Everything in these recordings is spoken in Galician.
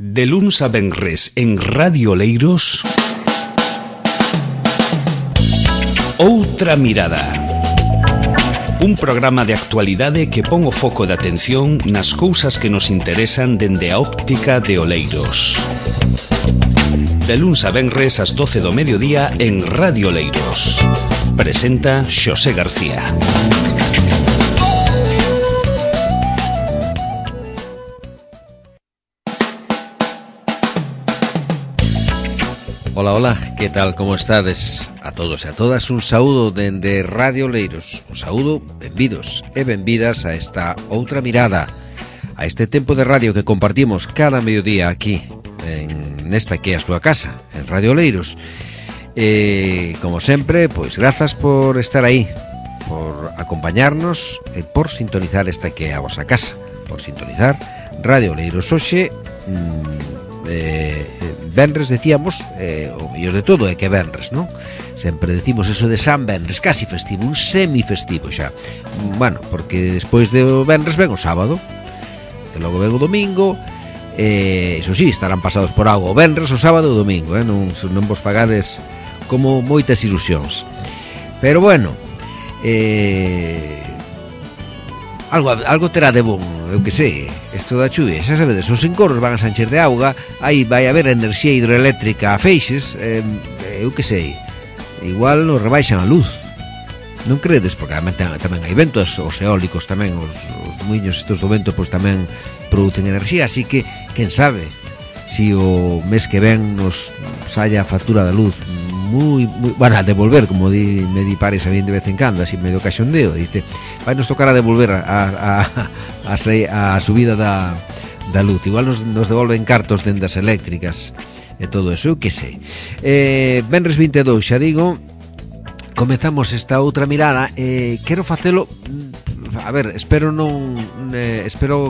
De luns a venres en Radio Oleiros, Outra Mirada. Un programa de actualidade que pon o foco de atención nas cousas que nos interesan dende a óptica de Oleiros. De luns a venres ás 12 do mediodía en Radio Oleiros. Presenta Xosé García. Ola, ola, que tal, como estades? A todos e a todas un saúdo dende Radio Oleiros. Un saúdo, benvidos e benvidas a esta outra mirada, a este tempo de radio que compartimos cada mediodía aquí, nesta que é a súa casa, en Radio Oleiros. Como sempre, pois grazas por estar aí, por acompañarnos e por sintonizar esta que é a vosa casa, por sintonizar Radio Oleiros. Hoxe, venres decíamos, o mellor de todo é que venres, non? Sempre decimos eso de San Venres, casi festivo, un semifestivo xa. Bueno, porque despois do venres ven o sábado, e logo ven o domingo, iso sí, estarán pasados por auga o venres, o sábado e o domingo, non vos fagades como moitas ilusións. Pero bueno, algo terá de bon, eu que sei, isto da chuvia, xa sabedes, os encorros van a sancher de auga, aí vai haber enerxía hidroeléctrica a feixes, eu que sei, igual nos rebaixan a luz, non credes? Porque tamén hai ventos, os eólicos tamén, os muiños estos do vento, pois tamén producen enerxía, así que, quen sabe, si o mes que ven nos saia a factura da luz moi, bueno, a devolver, como me di pares a mí de vez en cando, así medio caxondeo, dice, vai nos tocar a devolver a subida da luz, igual nos devolven cartos dendas eléctricas e todo eso, eu que sei. Venres 22, xa digo, comezamos esta outra mirada, quero facelo, a ver, espero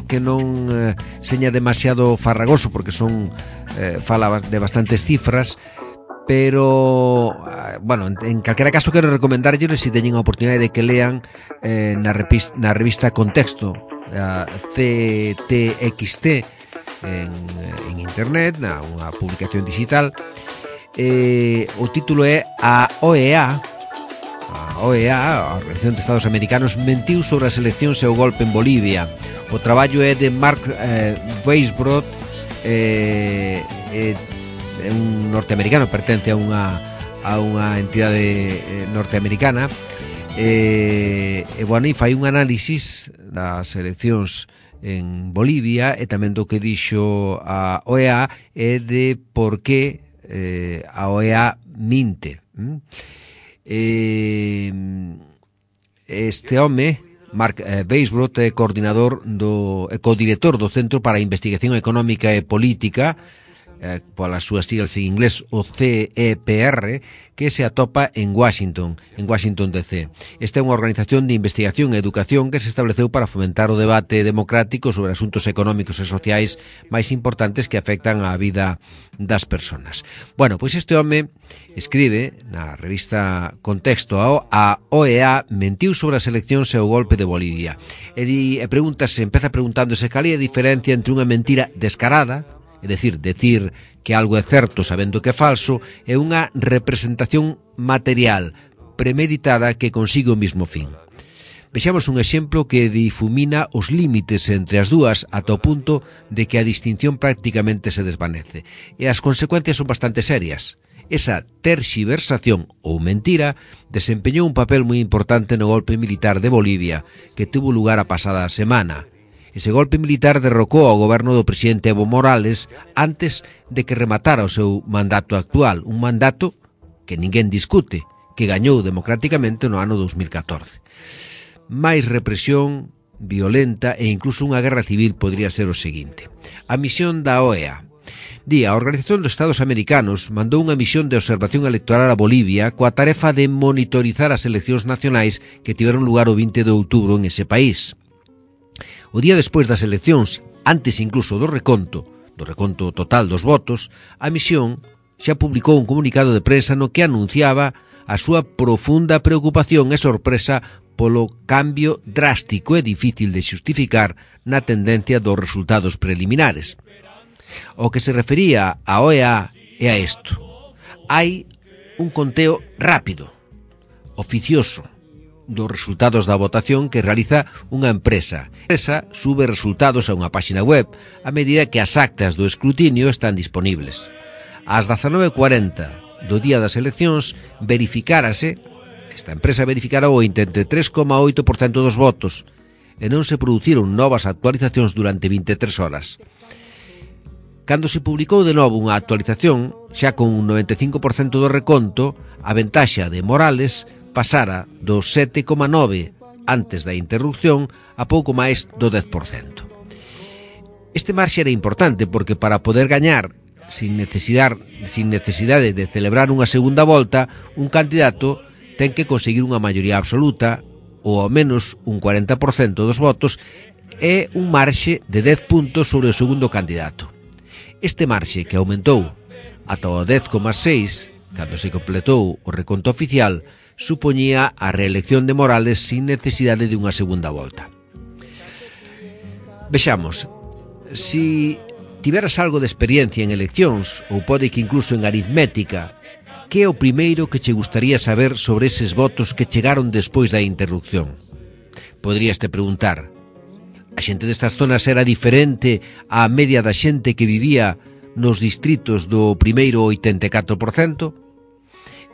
que non seña demasiado farragoso, porque fala de bastantes cifras, pero, bueno, en calquera caso quero recomendarlles, se teñen a oportunidade de que lean na revista Contexto, a CTXT, en internet, unha publicación digital. O título é A OEA, a Organización de Estados Americanos, mentiu sobre as eleccións e o golpe en Bolivia. O traballo é de Mark Weisbrot, un norteamericano, pertence a unha entidade norteamericana, bueno, e fai un análisis das eleccións en Bolivia e tamén do que dixo a OEA e de por que a OEA minte. Este home, Mark Weisbrot, é codirector do Centro para a Investigación Económica e Política, polas súas siglas en inglés, o CEPR, que se atopa en Washington DC. Esta é unha organización de investigación e educación que se estableceu para fomentar o debate democrático sobre asuntos económicos e sociais máis importantes que afectan á vida das persoas. Bueno, pois este home escribe na revista Contexto: a OEA mentiu sobre as eleccións e o golpe de Bolivia. E empeza preguntándose cal é a diferencia entre unha mentira descarada, é dicir que algo é certo sabendo que é falso, e unha representación material premeditada que consigue o mismo fin. Vexamos un exemplo que difumina os límites entre as dúas ata o punto de que a distinción prácticamente se desvanece. E as consecuencias son bastante serias. Esa terxiversación ou mentira desempeñou un papel moi importante no golpe militar de Bolivia que tuvo lugar a pasada semana. Ese golpe militar derrocou ao goberno do presidente Evo Morales antes de que rematara o seu mandato actual, un mandato que ninguén discute, que gañou democráticamente no ano 2014. Máis represión violenta e incluso unha guerra civil podría ser o seguinte. A misión da OEA. A Organización dos Estados Americanos mandou unha misión de observación electoral a Bolivia coa tarefa de monitorizar as eleccións nacionais que tiveron lugar o 20 de outubro en ese país. O día despois das eleccións, antes incluso do reconto total dos votos, a misión xa publicou un comunicado de prensa no que anunciaba a súa profunda preocupación e sorpresa polo cambio drástico e difícil de xustificar na tendencia dos resultados preliminares. O que se refería a OEA é a isto: hai un conteo rápido, oficioso, dos resultados da votación que realiza unha empresa. A empresa sube resultados a unha páxina web a medida que as actas do escrutinio están disponibles. Ás 19:40 do día das eleccións esta empresa verificara o 83,8% dos votos e non se produciron novas actualizacións durante 23 horas. Cando se publicou de novo unha actualización, xa con un 95% do reconto, a ventaxa de Morales pasara do 7,9 antes da interrupción a pouco máis do 10%. Este marxe era importante porque para poder gañar sin necesidade de celebrar unha segunda volta, un candidato ten que conseguir unha maioría absoluta ou ao menos un 40% dos votos e un marxe de 10 puntos sobre o segundo candidato. Este marxe, que aumentou ata o 10,6 cando se completou o reconto oficial, supoñía a reelección de Morales sin necesidade de unha segunda volta. Vexamos, si tiveras algo de experiencia en eleccións, ou pode que incluso en aritmética, que é o primeiro que che gustaría saber sobre eses votos que chegaron despois da interrupción? Poderías te preguntar: a xente destas zonas era diferente á media da xente que vivía nos distritos do primeiro 84%?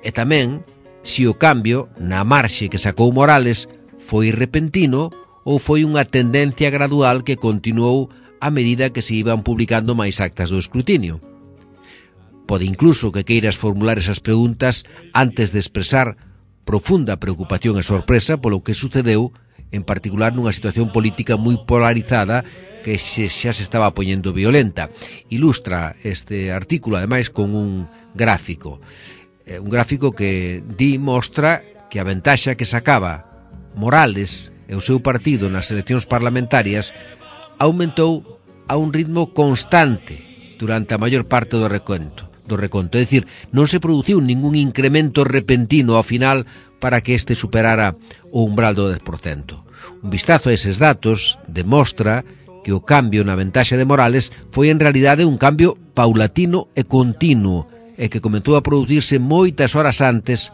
E tamén, se o cambio na marxe que sacou Morales foi repentino ou foi unha tendencia gradual que continuou a medida que se iban publicando máis actas do escrutinio. Pode incluso que queiras formular esas preguntas antes de expresar profunda preocupación e sorpresa polo que sucedeu, en particular nunha situación política moi polarizada que xa se estaba poñendo violenta. Ilustra este artículo, ademais, con un gráfico. Un gráfico que mostra que a ventaxa que sacaba Morales e o seu partido nas eleccións parlamentarias aumentou a un ritmo constante durante a maior parte do reconto. É dicir, non se produciu ningún incremento repentino ao final para que este superara o umbral do 10%. Un vistazo a eses datos demostra que o cambio na ventaxa de Morales foi en realidade un cambio paulatino e continuo, e que comezou a producirse moitas horas antes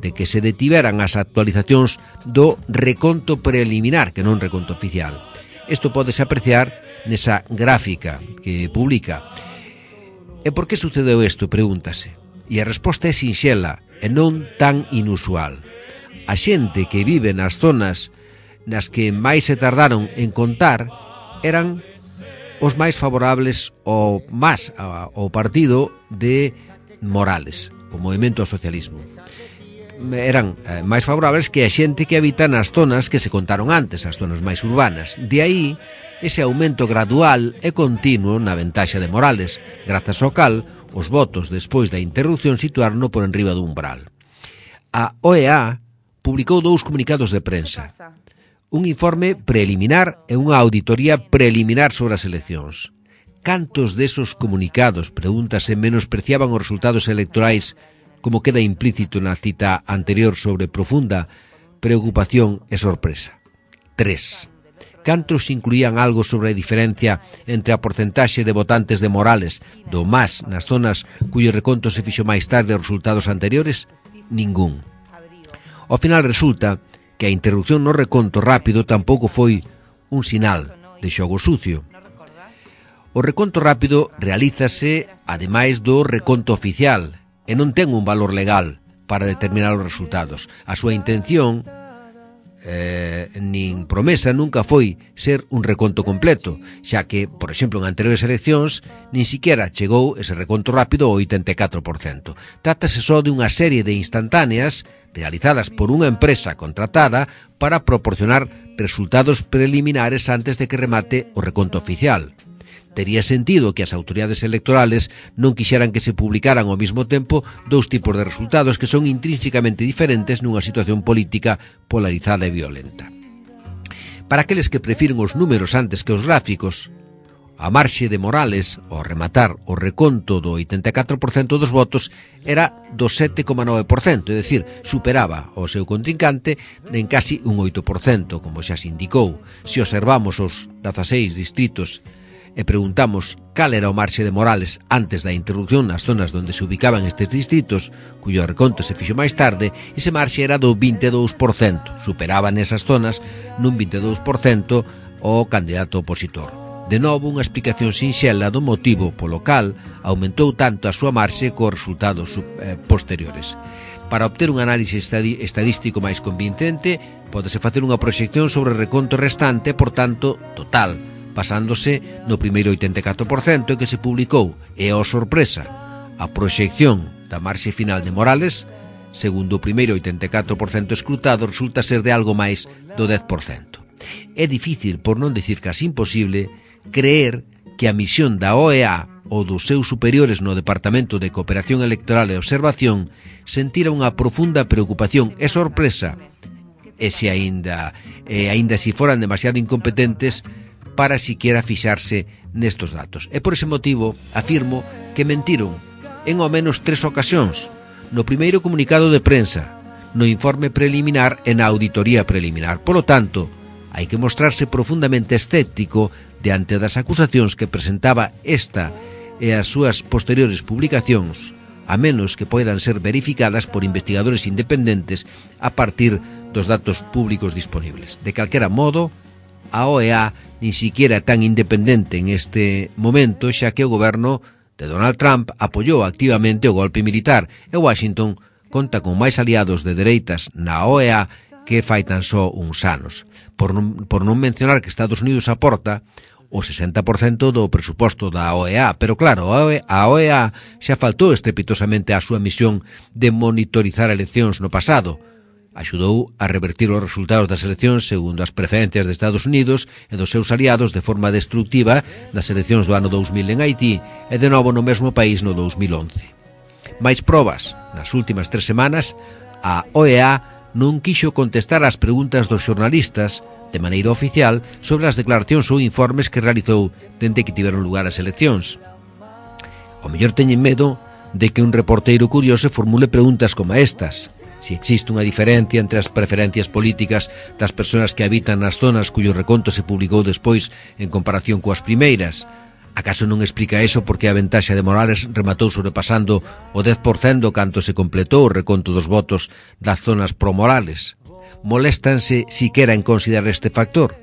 de que se detiveran as actualizacións do reconto preliminar, que non reconto oficial. Isto pódese apreciar nesa gráfica que publica. E por que sucedeu isto? Pregúntase. E a resposta é sinxela e non tan inusual. A xente que vive nas zonas nas que máis se tardaron en contar eran os máis favorables ao partido de Morales, o movimento ao socialismo. Eran máis favorables que a xente que habita nas zonas que se contaron antes, as zonas máis urbanas. De aí, ese aumento gradual e continuo na ventaxa de Morales, grazas ao cal os votos despois da interrupción situaron por enriba do umbral. A OEA publicou 2 comunicados de prensa: un informe preliminar e unha auditoría preliminar sobre as eleccións. Cantos desos comunicados, pregúntase, menospreciaban os resultados electorais, como queda implícito na cita anterior sobre profunda preocupación e sorpresa? 3. Cantos incluían algo sobre a diferencia entre a porcentaxe de votantes de Morales do MAS nas zonas cuyo reconto se fixo máis tarde aos resultados anteriores? Ningún. Ao final resulta que a interrupción no reconto rápido tampouco foi un sinal de xogo sucio. O reconto rápido realízase ademais do reconto oficial e non ten un valor legal para determinar os resultados. A súa intención nin promesa nunca foi ser un reconto completo, xa que, por exemplo, en anteriores eleccións nin siquiera chegou ese reconto rápido ao 84%. Trátase só de unha serie de instantáneas realizadas por unha empresa contratada para proporcionar resultados preliminares antes de que remate o reconto oficial. Tería sentido que as autoridades electorales non quixeran que se publicaran ao mesmo tempo 2 tipos de resultados que son intrínsecamente diferentes nunha situación política polarizada e violenta. Para aqueles que prefiren os números antes que os gráficos, a marxe de Morales, ao rematar o reconto do 84% dos votos, era do 7,9%, é dicir, superaba o seu contrincante en casi un 8%, como xa se indicou. Se observamos os 16 distritos e preguntamos cal era o marxe de Morales antes da interrupción nas zonas onde se ubicaban estes distritos, cuyo reconto se fixo máis tarde, ese marxe era do 22%, superaba nesas zonas nun 22% o candidato opositor. De novo, unha explicación sinxela do motivo polo cal aumentou tanto a súa marxe cos resultados posteriores. Para obter un análise estadístico máis convincente, pódese facer unha proxección sobre o reconto restante, por tanto, total, basándose no primeiro 84% que se publicou, e, oh sorpresa, a proxección da marxe final de Morales, segundo o primeiro 84% escrutado, resulta ser de algo máis do 10%. É difícil, por non dicir casi imposible, creer que a misión da OEA ou dos seus superiores no Departamento de Cooperación Electoral e Observación sentira unha profunda preocupación e sorpresa, e se aínda si foran demasiado incompetentes para siquiera fixarse nestos datos. E por ese motivo afirmo que mentiron en ao menos 3 ocasións: no primeiro comunicado de prensa, no informe preliminar e na auditoría preliminar. Polo tanto, hai que mostrarse profundamente escéptico diante das acusacións que presentaba esta e as súas posteriores publicacións, a menos que poidan ser verificadas por investigadores independentes a partir dos datos públicos disponibles. De calquera modo, a OEA nin siquiera é tan independente en este momento, xa que o goberno de Donald Trump apoiou activamente o golpe militar e Washington conta con máis aliados de dereitas na OEA que fai tan só uns anos. Por non mencionar que Estados Unidos aporta o 60% do presuposto da OEA, pero claro, a OEA xa faltou estrepitosamente á súa misión de monitorizar eleccións no pasado. Axudou a revertir os resultados das eleccións segundo as preferencias de Estados Unidos e dos seus aliados de forma destructiva nas eleccións do ano 2000 en Haití e de novo no mesmo país no 2011. Mais probas, nas últimas 3 semanas, a OEA non quixo contestar ás preguntas dos xornalistas de maneira oficial sobre as declaracións ou informes que realizou dende que tiveron lugar as eleccións. O mellor teñen medo de que un reporteiro curioso formule preguntas como estas: si existe unha diferencia entre as preferencias políticas das persoas que habitan nas zonas cuyo reconto se publicou despois en comparación coas primeiras. Acaso non explica eso porque a ventaxa de Morales rematou sobrepasando o 10% canto se completou o reconto dos votos das zonas pro-Morales? Moléstanse siquera en considerar este factor?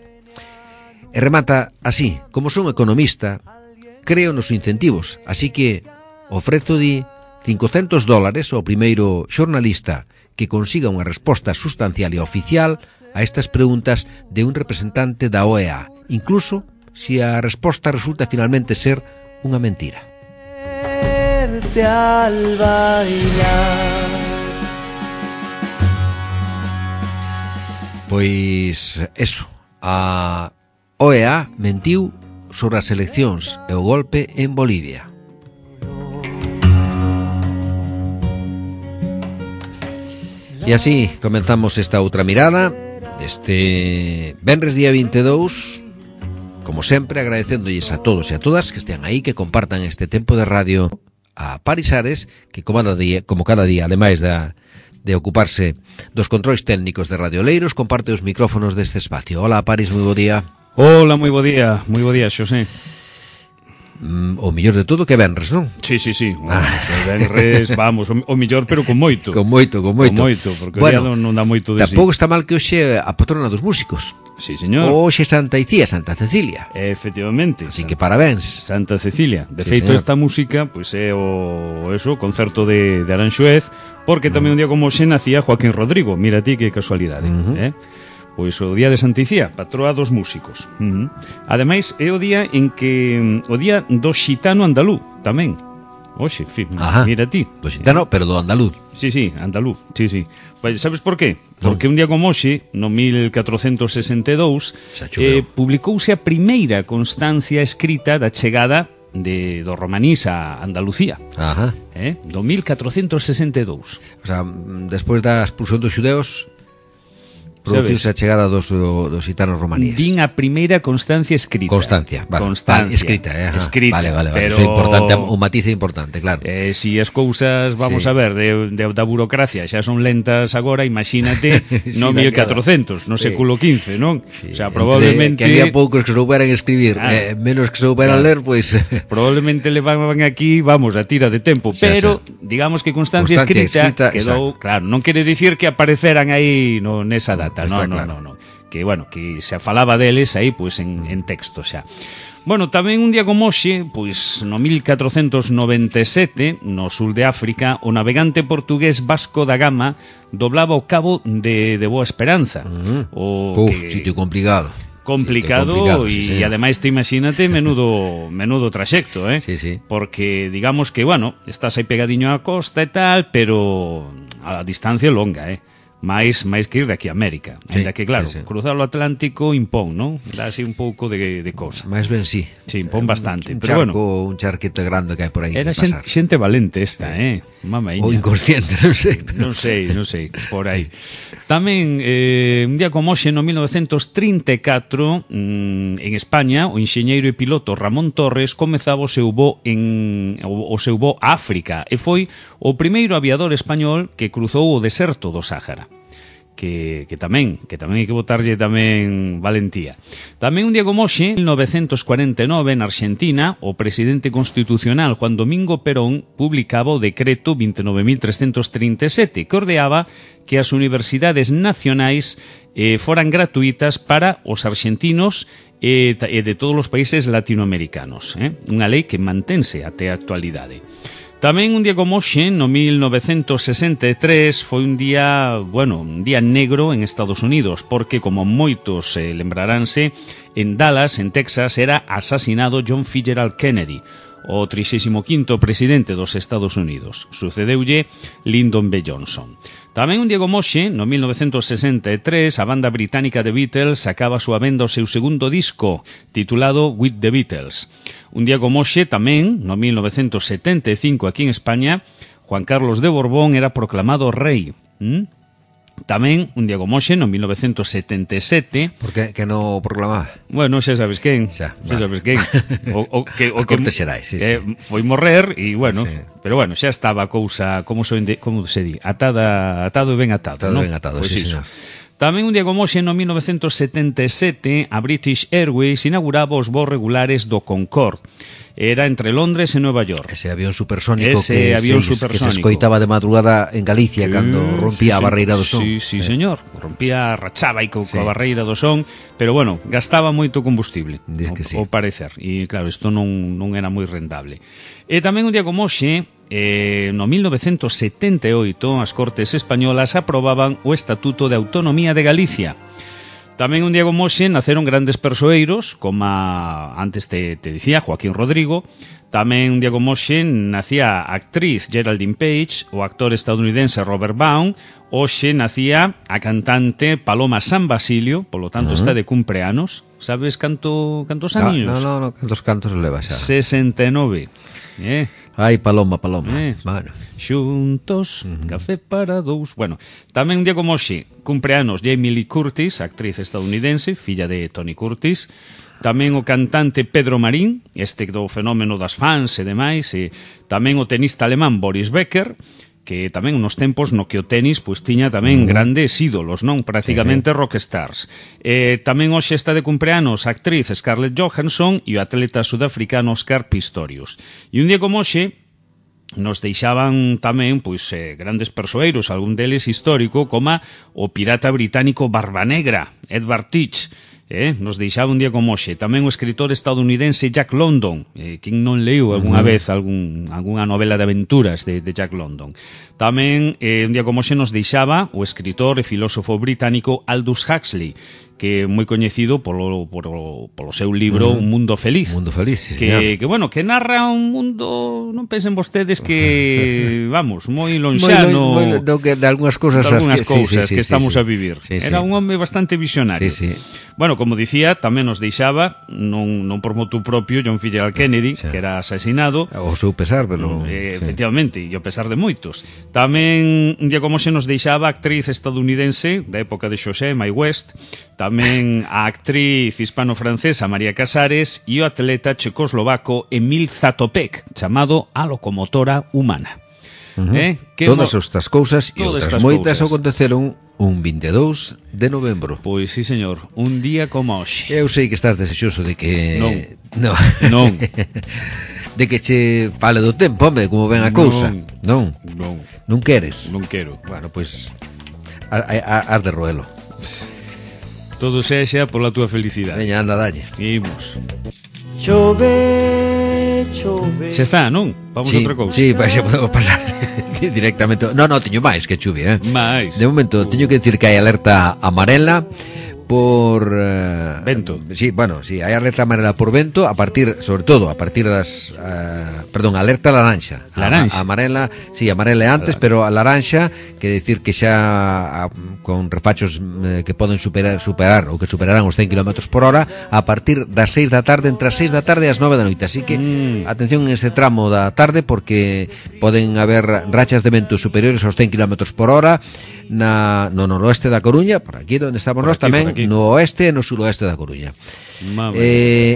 E remata así: como son economista, creo nos incentivos, así que ofrezo $500 ao primeiro xornalista que consiga unha resposta sustancial e oficial a estas preguntas de un representante da OEA, incluso se a resposta resulta finalmente ser unha mentira. Pois eso, a OEA mentiu sobre as eleccións e o golpe en Bolivia. E así comenzamos esta outra mirada este venres día 22, como sempre agradecéndolles a todos e a todas que estean aí, que compartan este tempo de radio a Paris Ares, que como cada día, ademais de ocuparse dos controis técnicos de Radio Oleiros, comparte os micrófonos deste espacio. Hola, Paris, moi bo día. Hola, moi bo día, Xosé. O mellor de todo que venres, non? Sí. Venres, vamos, o mellor, pero con moito. Con moito, porque bueno, o día non dá moito de tampouco está mal que hoxe a patrona dos músicos. Sí, señor. Hoxe Santa Icía, Santa Cecilia. Efectivamente. Así que parabéns. Santa Cecilia. De sí, feito, señor. Esta música pois é o concerto de Aranxoez, porque tamén un día como hoxe nacía Joaquín Rodrigo. Mira ti que casualidade, Pois o día de Santa Icía, patroa dos músicos. Ademais, é o día en que o día do xitano andalú tamén. Oxe, mira ti. Do xitano, pero do andaluz. Sí, andaluz, sí. Pues, sabes por qué? Porque un día como hoxe, no 1462, publicouse a primeira constancia escrita da chegada do romanís a Andalucía. Do 1462. O sea, despois da expulsión dos xudeos, produciuse a chegada dos gitanos romaníes. Din a primeira constancia escrita. Constancia, vale. Constancia. Escrita, escrita. Vale. Pero... Eso é importante, o matiz é importante, claro. Si as cousas, vamos a ver, da burocracia xa son lentas agora, imagínate no 1400, no século XV, non? Sí. O sea, probablemente... Que había poucos que souberan escribir, menos que souberan ler, pois... Probablemente levaban aquí, vamos, a tira de tempo, pero digamos que constancia escrita quedou, claro, non quere dicir que apareceran aí nesa data. No. Que, bueno, que se falaba deles aí, pois, en texto xa. Bueno, tamén un día como hoxe, pois, no 1497, no sul de África, o navegante portugués Vasco da Gama doblaba o cabo de Boa Esperanza. Sitio complicado. Y ademais te imagínate menudo traxecto, Sí. Porque digamos que, bueno, estás aí pegadiño á costa e tal, pero a distancia longa, máis que ir de aquí a América. Ainda que, claro, cruzar o Atlántico impón, non? Dá así un pouco de cousa. Máis ben, sí. Sí, impón bastante. Pero bueno, un charquete grande que hai por aí. Era xente valente esta, Mamaíña. Ou inconsciente, non sei. Non sei, por aí. Tamén, un día como hoxe, no 1934, en España, o enxeñeiro e piloto Ramón Torres comezaba o seu voo a África e foi o primeiro aviador español que cruzou o deserto do Sáhara. Que tamén hai que botarlle tamén valentía. Tamén un día como hoxe, en 1949, na Argentina, o presidente constitucional Juan Domingo Perón publicaba o decreto 29.337 que ordeaba que as universidades nacionais foran gratuitas para os argentinos e de todos os países latinoamericanos. Unha lei que mantense até a actualidade. Tamén un día como hoxe, no 1963, foi un día negro en Estados Unidos, porque, como moitos lembraránse, en Dallas, en Texas, era asasinado John Fitzgerald Kennedy, o 35º presidente dos Estados Unidos. Sucedeulle Lyndon B. Johnson. Tamén un día como hoxe, no 1963, a banda británica The Beatles sacaba a súa venda o seu segundo disco, titulado With the Beatles. Un día como hoxe, tamén, no 1975, aquí en España, Juan Carlos de Borbón era proclamado rei. Tamén, un día como hoxe, no 1977... Por que non o proclamaba? Bueno, xa sabes quen. Sabes quen. O que Xerais, sí. Foi morrer e, bueno... Sí. Pero, bueno, xa estaba a cousa, como se di, atado e ben atado, non? Ben atado, Pois sí, iso. señor. Tamén un día como hoxe, no 1977, a British Airways inauguraba os voos regulares do Concorde. Era entre Londres e Nueva York. Ese avión supersónico que se escoitaba de madrugada en Galicia cando rompía a barreira do son. Sí, señor. Rompía, rachaba aí coa barreira do son, pero, bueno, gastaba moito combustible, ao parecer. E, claro, isto non era moi rentable. E tamén un día como hoxe, no 1978, as Cortes Españolas aprobaban o Estatuto de Autonomía de Galicia. Tamén un día como hoxe naceron grandes persoeiros, como antes te dicía, Joaquín Rodrigo. Tamén un día como hoxe nacía a actriz Geraldine Page, o actor estadounidense Robert Baum. Hoxe nacía a cantante Paloma San Basilio, polo tanto está de cumpleanos. Sabes cantos años? No, cantos leva xa. 69. Ai, Paloma. Bueno. Xuntos, café para dous. Bueno, tamén un día como hoxe, cumpleanos Jamie Lee Curtis, actriz estadounidense, filla de Tony Curtis. Tamén o cantante Pedro Marín, este do fenómeno das fans e demais. E tamén o tenista alemán Boris Becker, que tamén unos tempos no que o tenis pois tiña tamén grandes ídolos, non? Prácticamente rockstars. Tamén hoxe está de cumpleanos a actriz Scarlett Johansson e o atleta sudafricano Oscar Pistorius. E un día como hoxe nos deixaban tamén pois grandes persoeiros, algún deles histórico, como o pirata británico Barba Negra, Edward Teach. Nos deixaba un día como hoxe. Tamén o escritor estadounidense Jack London, quen non leu algunha vez algunha novela de aventuras de Jack London. Tamén un día como hoxe nos deixaba o escritor e filósofo británico Aldous Huxley, que é moi coñecido polo seu libro Un mundo feliz. Un mundo feliz, sí, que narra un mundo, non pensen vostedes que, vamos, moi lonxano de algunhas cousas que estamos a vivir. Sí. Era un home bastante visionario. dicionario. Sí, sí. Bueno, como dicía, tamén nos deixaba, non por motu propio, John F. Kennedy, Sí. que era asesinado, O seu pesar, pero... sí. efectivamente, e o pesar de moitos. Tamén, un día como se nos deixaba a actriz estadounidense da época de José Mae West, tamén a actriz hispano-francesa María Casares e o atleta checoslovaco Emil Zatopek, chamado a locomotora humana. Todas estas cousas e Todas outras estas moitas cousas. aconteceron un 22 de novembro. Pois sí, señor, un día como hoxe. Eu sei que estás desexoso de que... Non. No. Non. De que che fale do tempo, home, como ven a cousa. Non. Non queres. Non quero. Bueno, pois has de roelo. Todo sexa pola túa felicidade. Veña, anda, dalle. Imos. Chove, chove. Xa está, non? Vamos a outra cousa. Sí, xa podemos pasar directamente. No, teño máis que chuvia, Mais. De momento, teño que decir que hai alerta amarela por vento. Sí, bueno, sí, hai alerta amarela por vento a partir, sobre todo, a partir das perdón, alerta laranxa. Laranxa. Amarela, sí, amarela é antes, pero a laranxa quere decir que xa con refachos que poden superar ou que superarán os 100 km por hora a partir das 6 da tarde, entre as 6 da tarde e as 9 da noite. Así que atención en ese tramo da tarde porque poden haber rachas de vento superiores aos 100 km por hora no noroeste da Coruña, por aquí onde estamos nós, tamén no oeste e no suroeste da Coruña.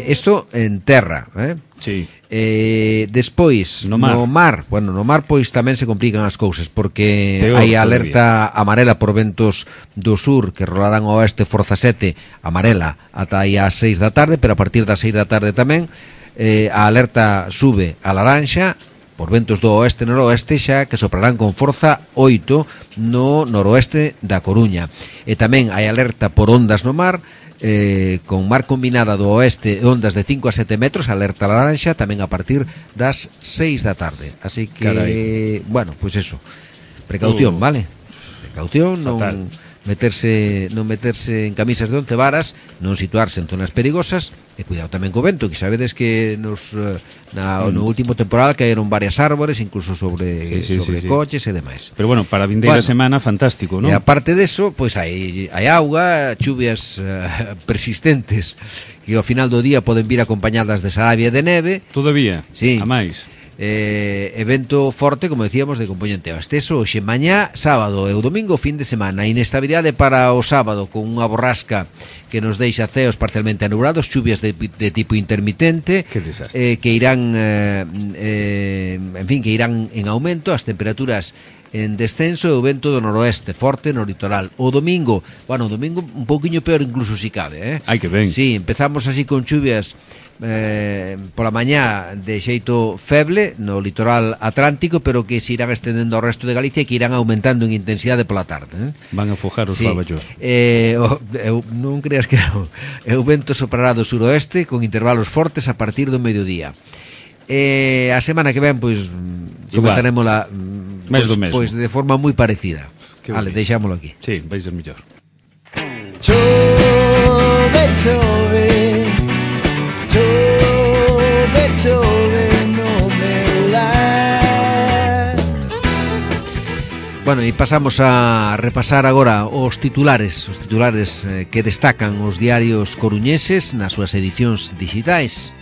Isto en terra, Sí. Despois no mar. Bueno, no mar pois tamén se complican as cousas porque Peor hai alerta amarela por ventos do sur que rolarán ao oeste forza 7 amarela ata aí ás 6 da tarde, pero a partir das 6 da tarde tamén a alerta sube a laranxa por ventos do oeste e noroeste xa que soprarán con forza 8 no noroeste da Coruña. E tamén hai alerta por ondas no mar con mar combinada do oeste e ondas de 5 a 7 metros, alerta laranxa tamén a partir das 6 da tarde. Así que, carai, bueno, pois eso, precaución, vale? Precaución, fatal. non meterse en camisas de 11 varas, non situarse en zonas perigosas e cuidado tamén co vento, que sabedes que no último temporal caeron varias árbores, incluso sobre coches e demais. Pero bueno, para a vindeira semana fantástico, non? E aparte deso, pois hai auga, chuvias persistentes que ao final do día poden vir acompañadas de sarabia e de neve. Todavía? Sí. A máis? Evento forte, como decíamos, de componente oesteso hoxe mañá, sábado e o domingo, fin de semana. Inestabilidade para o sábado con unha borrasca que nos deixa ceos parcialmente anubrados, chuvias de tipo intermitente que irán en fin, que irán en aumento, as temperaturas en descenso e o vento do noroeste forte no litoral. O domingo un pouquiño peor incluso si cabe, Ai, que ben. Sí, empezamos así con chuvias pola mañá de xeito feble no litoral atlántico, pero que se irán estendendo ao resto de Galicia e que irán aumentando en intensidade pola tarde. Van a fojar os baballos. Non creas que o vento soprará do suroeste con intervalos fortes a partir do mediodía. A semana que ven pois comenzaremos pois de forma moi parecida. Vale, deixámolo aquí. Sí, vai ser mellor. Chove, chove, chove, chove no meu lar. Bueno, e pasamos a repasar agora os titulares que destacan os diarios coruñeses nas súas edicións digitais.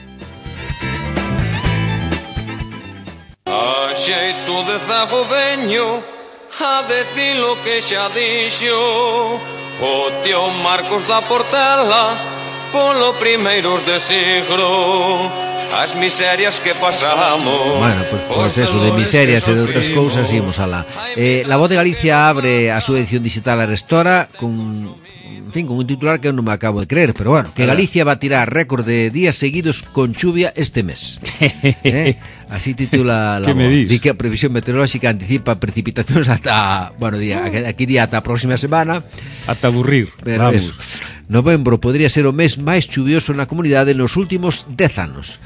A xeito de zago veño a decir lo que xa dixo o tío Marcos da Portela polo primeiros de siglo. As miserias que pasamos. Bueno, pues eso, de miserias e de outras cousas íamos alá. La Voz de Galicia abre a súa edición digital Arestora con un titular que eu non me acabo de creer, pero bueno, que Galicia va a tirar récord de días seguidos con chuvia este mes. Así titula La Voz. Di que a previsión meteorolóxica anticipa precipitacións ata, aquí día ata a próxima semana. Ata aburrir, pero vamos. Novembro podría ser o mes máis chuvioso na comunidade nos últimos 10 anos.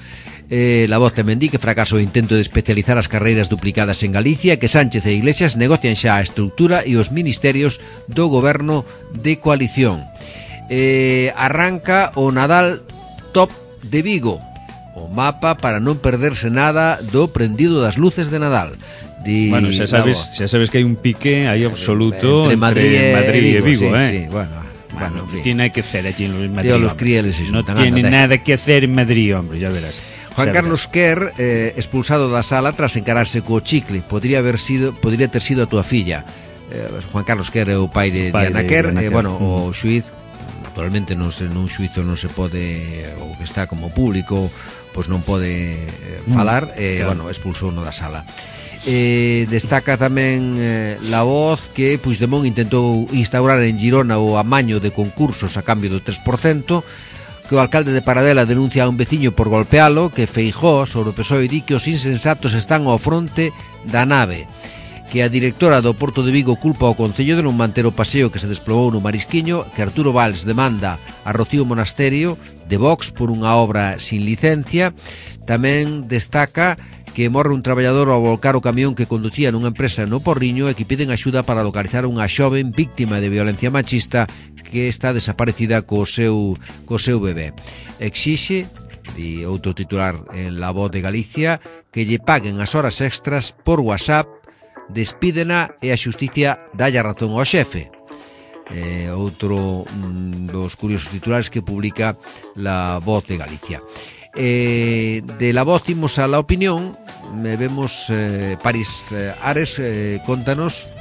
La Voz tamén di que fracaso o intento de especializar as carreiras duplicadas en Galicia, que Sánchez e Iglesias negocian xa a estructura e os ministerios do goberno de coalición. Arranca o Nadal Top de Vigo, o mapa para non perderse nada do prendido das luces de Nadal. Bueno, xa sabes que hai un pique aí absoluto entre Madrid e Vigo, Vigo, sí, bueno. Bueno, en fin. Tiene que hacer allí en Madrid. Tío, los hombre. crieles y no Xunta, tiene nada, nada que hacer en Madrid, hombre, ya verás. Juan Ya Carlos Quer, expulsado da sala tras encararse co chicle. Podría ter sido a túa filla. Juan Carlos Quer é o pai de Diana Quer. Bueno, o xuiz, naturalmente nun xuizo non se pode, o que está como público, pois non pode falar, claro. bueno, expulsou no da sala. Destaca tamén La Voz que Puigdemont intentou instaurar en Girona o amaño de concursos a cambio do 3%, que o alcalde de Paradela denuncia a un veciño por golpealo, que Feijóo sobre o PSOE di que os insensatos están ao fronte da nave, que a directora do Porto de Vigo culpa ao Concello de non manter o paseo que se desplomou no Marisquiño, que Arturo Valls demanda a Rocío Monasterio de Vox por unha obra sin licencia. Tamén destaca que morre un traballador ao volcar o camión que conducía nunha empresa no Porriño e que piden axuda para localizar unha xoven víctima de violencia machista que está desaparecida co seu bebé. Exixe, e outro titular en La Voz de Galicia, que lle paguen as horas extras por WhatsApp, despídena e a xusticia dalle razón ao xefe. Outro dos curiosos titulares que publica La Voz de Galicia. De La Voz imos a La Opinión. Vemos París Ares contanos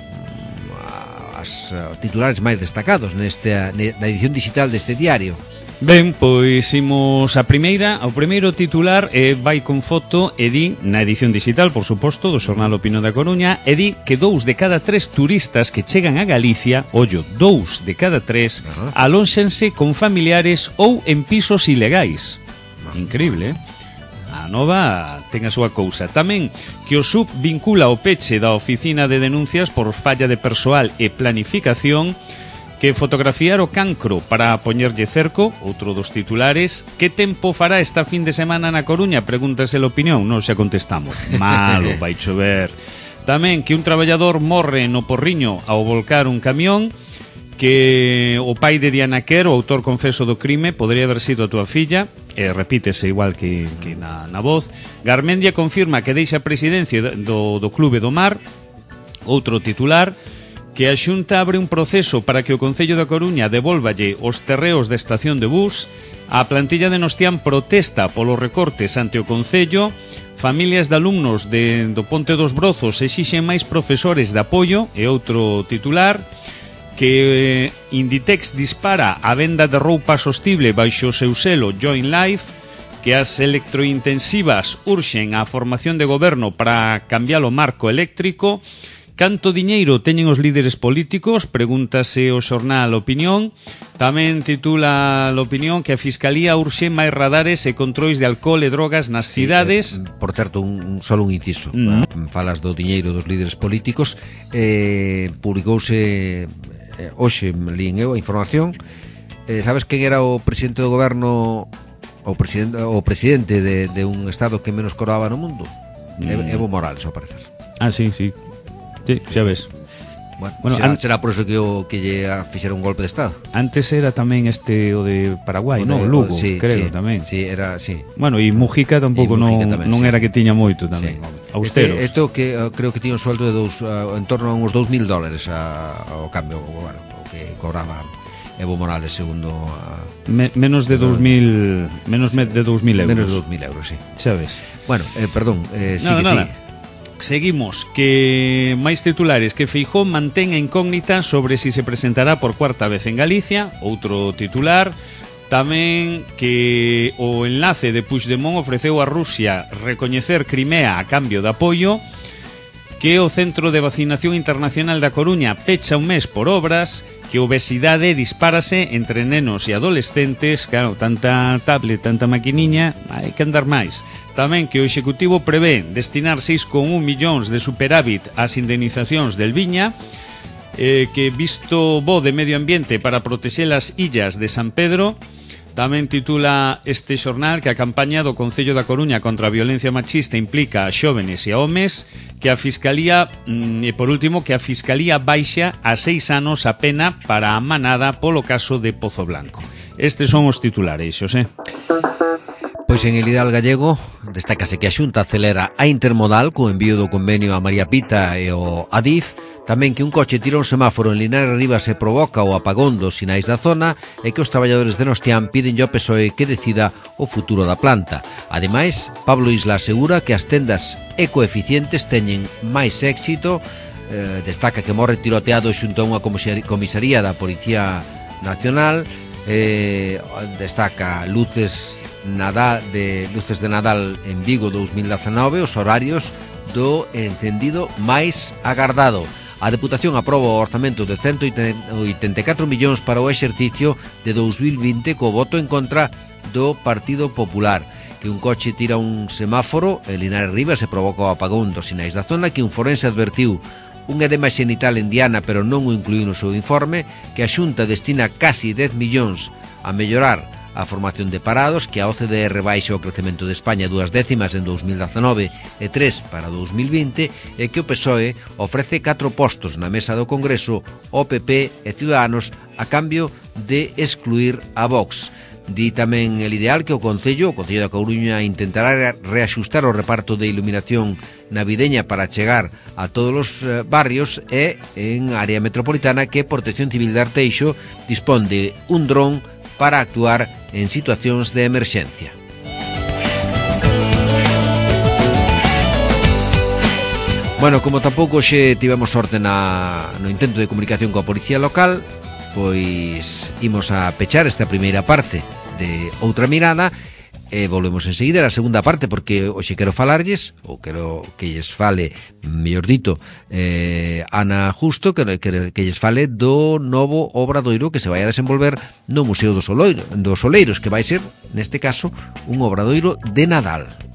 as titulares máis destacados na edición digital deste diario. Ben, pois imos ao primeiro titular vai con foto e di, na edición digital, por suposto, do xornal Opinión da Coruña, e di que 2 de cada 3 turistas que chegan a Galicia, 2 de cada 3, alónxense con familiares ou en pisos ilegais. Increíble, A nova ten a súa cousa. Tamén que o SUB vincula o peche da oficina de denuncias por falla de persoal e planificación, que fotografiar o cancro para poñerlle cerco, outro dos titulares. Que tempo fará esta fin de semana na Coruña? Pregúntase a Opinión, non xa contestamos. Malo, vai chover. Tamén que un traballador morre no Porriño ao volcar un camión, que o pai de Diana Quer, o autor confeso do crime, podría haber sido a túa filla, e repítese igual que na Voz. Garmendia confirma que deixa a presidencia do Clube do Mar. Outro titular, que a Xunta abre un proceso para que o Concello da Coruña devolvalle os terreos da estación de bus. A plantilla de Nostián protesta polos recortes ante o Concello. Familias de alumnos do Ponte dos Brozos exixen máis profesores de apoio. E outro titular, que Inditex dispara a venda de roupa sostible baixo o seu selo Join Life, que as electrointensivas urxen a formación de goberno para cambiar o marco eléctrico. Canto diñeiro teñen os líderes políticos? Pregúntase o xornal Opinión. Tamén titula a Opinión que a Fiscalía urxe máis radares e controis de alcohol e drogas nas cidades. Por certo, só un inciso. Falas do diñeiro dos líderes políticos. Publicouse hoxe, lín eu a información. Sabes quen era o presidente do goberno, o presidente de un estado que menos cobraba no mundo? Evo Morales, ao parecer. Ah, sí. Sí, xa ves. Bueno, será por eso que lle fixeron un golpe de estado. Antes era tamén o de Paraguai, non? Lugo, sí, creo, sí, tamén. Sí, era, sí. Bueno, e Mujica tampouco non era que tiña moito tamén. Sí. Austeros. Isto que creo que tiña un sueldo de en torno a uns $2.000 ao cambio, bueno, o que cobraba Evo Morales segundo menos de 2.000 euros. Menos de 2.000 euros, sí. Xa ves. Bueno, perdón, sigue. Seguimos, que máis titulares, que Feijóo mantén a incógnita sobre si se presentará por cuarta vez en Galicia. Outro titular, tamén que o enlace de Puigdemont ofreceu a Rusia recoñecer Crimea a cambio de apoio, que o Centro de Vacinación Internacional da Coruña pecha un mes por obras, que a obesidade dispárase entre nenos e adolescentes. Claro, tanta tablet, tanta maquiniña, hai que andar máis. Tamén que o Executivo prevé destinar 6,1 millóns de superávit ás indemnizacións del Viña, que visto bo de medio ambiente para protexer as illas de San Pedro. Tamén titula este xornal que a campaña do Concello da Coruña contra a violencia machista implica a xóvenes e a homes, que a Fiscalía, e por último, que a Fiscalía baixa a 6 anos a pena para a manada polo caso de Pozo Blanco. Estes son os titulares, Xosé. Pois en el ideal gallego destácase que a Xunta acelera a intermodal co envío do convenio a María Pita e o Adif, tamén que un coche tira un semáforo en Linares Rivas e provoca o apagón dos sinais da zona e que os traballadores de Nostián piden ao PSOE que decida o futuro da planta. Ademais, Pablo Isla asegura que as tendas ecoeficientes teñen máis éxito, destaca que morre tiroteado xunto a unha comisaría da Policía Nacional, destaca luces de Nadal en Vigo 2019, os horarios do encendido máis agardado. A Deputación aproba o orzamento de 184 millóns para o exercicio de 2020 co voto en contra do Partido Popular. Que un coche tira un semáforo en Linares Rivas e provoca o apagón dos sinais da zona, que un forense advertiu un edema xenital en Diana pero non o incluíu no seu informe, que a Xunta destina casi 10 millóns a mellorar a formación de parados, que a OCDE rebaixa o crecemento de España 2 décimas en 2019 e 3 para 2020, e que o PSOE ofrece 4 postos na mesa do Congreso ao PP e Ciudadanos a cambio de excluir a Vox. Di tamén el ideal que o Concello da Coruña intentará reaxustar o reparto de iluminación navideña para chegar a todos os barrios, e en área metropolitana que Protección Civil de Arteixo dispón de un dron para actuar en situacións de emerxencia. Bueno, como tampouco xe tivemos sorte no intento de comunicación coa policía local, pois imos a pechar esta primeira parte de Outra Mirada e volvemos enseguida a segunda parte, porque hoxe quero falarlles, ou quero que lles fale, mellor dito, Ana Justo, que lles fale do novo obradoiro que se vai a desenvolver no Museo dos Oleiros, que vai ser, neste caso, un obradoiro de Nadal.